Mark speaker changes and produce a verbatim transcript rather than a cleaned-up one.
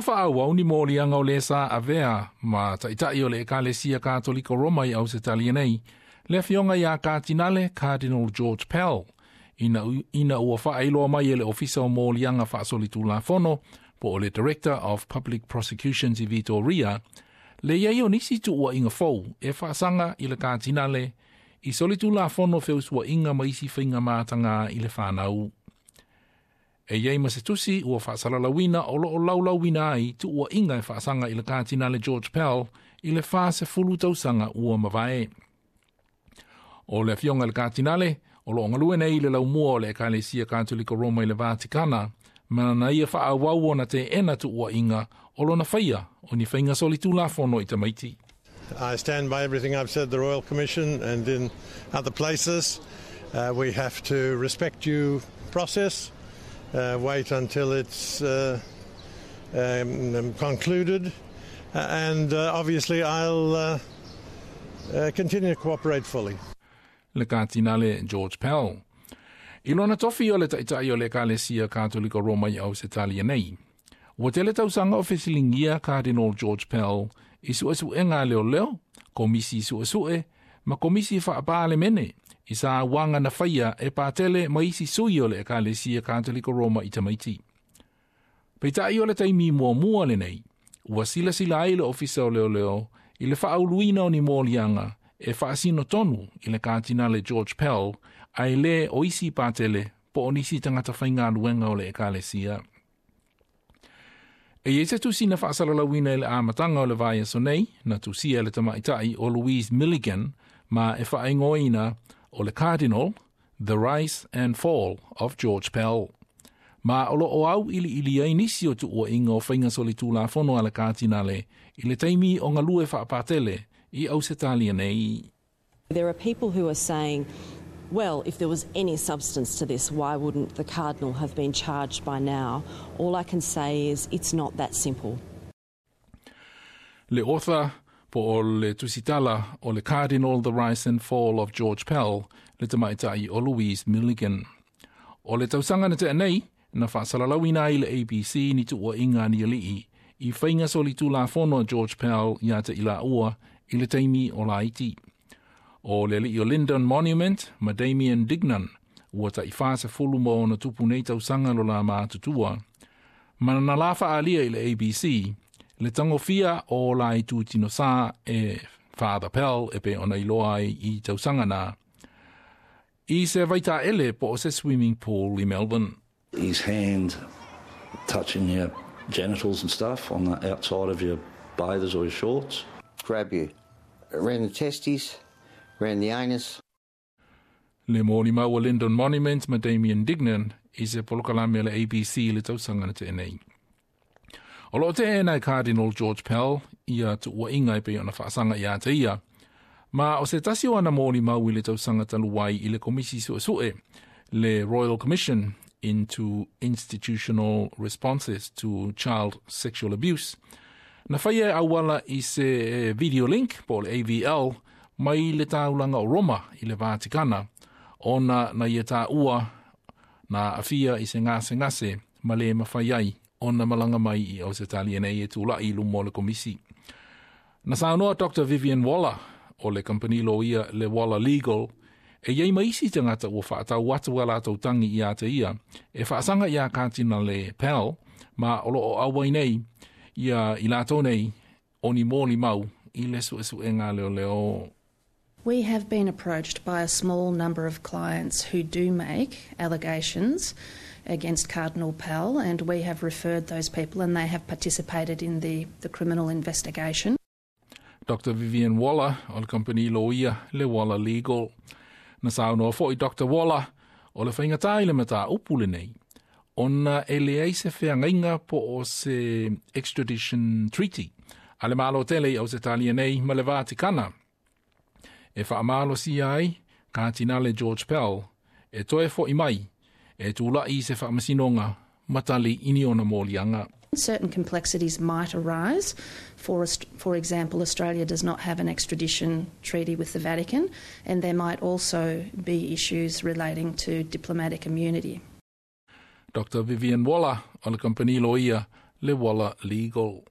Speaker 1: Fa'aauau ni moliaga o lē sa avea ma taʻitaʻi o le Ekalesia Katoliko Roma i Ausetalia nei, le afioga iā Katinale Cardinal George Pell, ina, ina ua faailoa mai e le Ofisa o Moliaga Faasolitulafono po o le Director of Public Prosecutions i Vitoria, le i ai o nisi tuuaiga fou e faasaga i le Katinale i solitulafono feusuaiga ma isi faiga matagā i le fanau. E iai ma se tusi ua faasalalauina o loo laulauina ai tuuaiga e faasaga i le Katinale George Pell i le fasefulu tausaga ua mavae. O le afioga i le Katinale o loo galue nei i le laumua o le Ekalesia Katoliko Roma i le Vatikana, ma na ia faaauau ona teena tuuaiga o lona faia o ni faiga solitulafono i tamaiti.
Speaker 2: I stand by everything I've said, the Royal Commission and in other places. Uh, we have to respect due process, uh, wait until it's uh, um, concluded, uh, and uh, obviously I'll uh, uh, continue to cooperate fully.
Speaker 1: Le Katinale George Pell. I lona tofi o le taʻitaʻi o le Ekalesia Katoliko Roma i Ausetalia nei. Ua tele tausaga o fesiligia Cardinal George Pell i suesuega a leoleo, komisi suesue, ma komisi faapalemene i sauaga na faia e patele ma isi sui o le Ekalesia Katoliko Roma i tamaiti. Peitai o le taimi muamua lenei, ua silasila ai le ofisa o leoleo i le faauluina o ni moliaga e faasino tonu i le Katinale George Pell ae lē o isi patele po o nisi tagata faigaluega o le Ekalesia. E iai se tusi na faasalalauina i le amataga o le vaiaso nei, na tusia le tamaʻitaʻi o Louise Milligan ma e faaigoaina o le Cardinal, The Rise and Fall of George Pell. Ma o loo auiliili ai nisi o tuuaiga o faiga solitulafono a le Katinale i le taimi o galue faapatele i Ausetalia nei.
Speaker 3: There are people who are saying, well, if there was any substance to this, why wouldn't the Cardinal have been charged by now? All I can say is it's not that simple.
Speaker 1: Le author po o le tusitala o le Cardinal The Rise and Fall of George Pell, le tamaʻitaʻi o Louise Milligan. O le tausaga na tea nei, na faasalalauina ai le A B C ni tuuaiga ni alii i faiga solitulafono George Pell ia te i laua i le taimi o laiti. O le alii o Lyndon Monument ma Damien Dignan, ua taifasefulu ma ona tupu nei tausaga lo la matutua. Ma na la faaalia i le A B C, le tagofia o la ituutinosā e Father Pell e pei ona iloa ai i tausaga na. I se vaitaele po o se swimming pool i Melbourne.
Speaker 4: His hand touching your genitals and stuff on the outside of your bathers or your shorts.
Speaker 5: Grab you around the testes, around the anus.
Speaker 1: Le molimau a Lyndon Monument ma Damien Dignan i se polokalame le A B C le tausaga na tea nei. O loo teena e Cardinal George Pell ia tuuaiga e pei ona faasaga ia te ia. Ma o se tasi o ana molimau i le tausaga talu ai i le komisi suesue, le Royal Commission into Institutional Responses to Child Sexual Abuse. Na faia e auala i se video link po le A V L mai le taulaga o Roma i le Vatikana, ona na ia taua na aafia i se gasegase ma le mafai ai ona malaga mai i Ausetalia nei e tulaʻi i luma o le komisi. Na saunoa Doctor Vivian Waller o le kampani loia le Waller Legal e iai ma isi tagata ua faatau atu a latou tagi ia te ia e faasaga iā Katinale Pell ma o loo auai nei ia i latou nei o ni molimau i le suesuega leoleo.
Speaker 6: We have been approached by a small number of clients who do make allegations against Cardinal Pell, and we have referred those people and they have participated in the, the criminal investigation.
Speaker 1: Doctor Vivian Waller o le kampani loia le Waller Legal. Na saunoa foi Doctor Waller o le faigatā i le mataupu lenei, ona e leai se feagaiga po o se extradition treaty a le Malo tele i Ausetalia nei ma le Vatikana e faamalosia ai Katinale George Pell e toe foʻi mai e tulaʻi i se faamasinoga ma tali i ni ona moliaga.
Speaker 6: Certain complexities might arise. For, for example, Australia does not have an extradition treaty with the Vatican, and there might also be issues relating to diplomatic immunity.
Speaker 1: Doctor Vivian Waller o le kampani loia Le Waller Legal.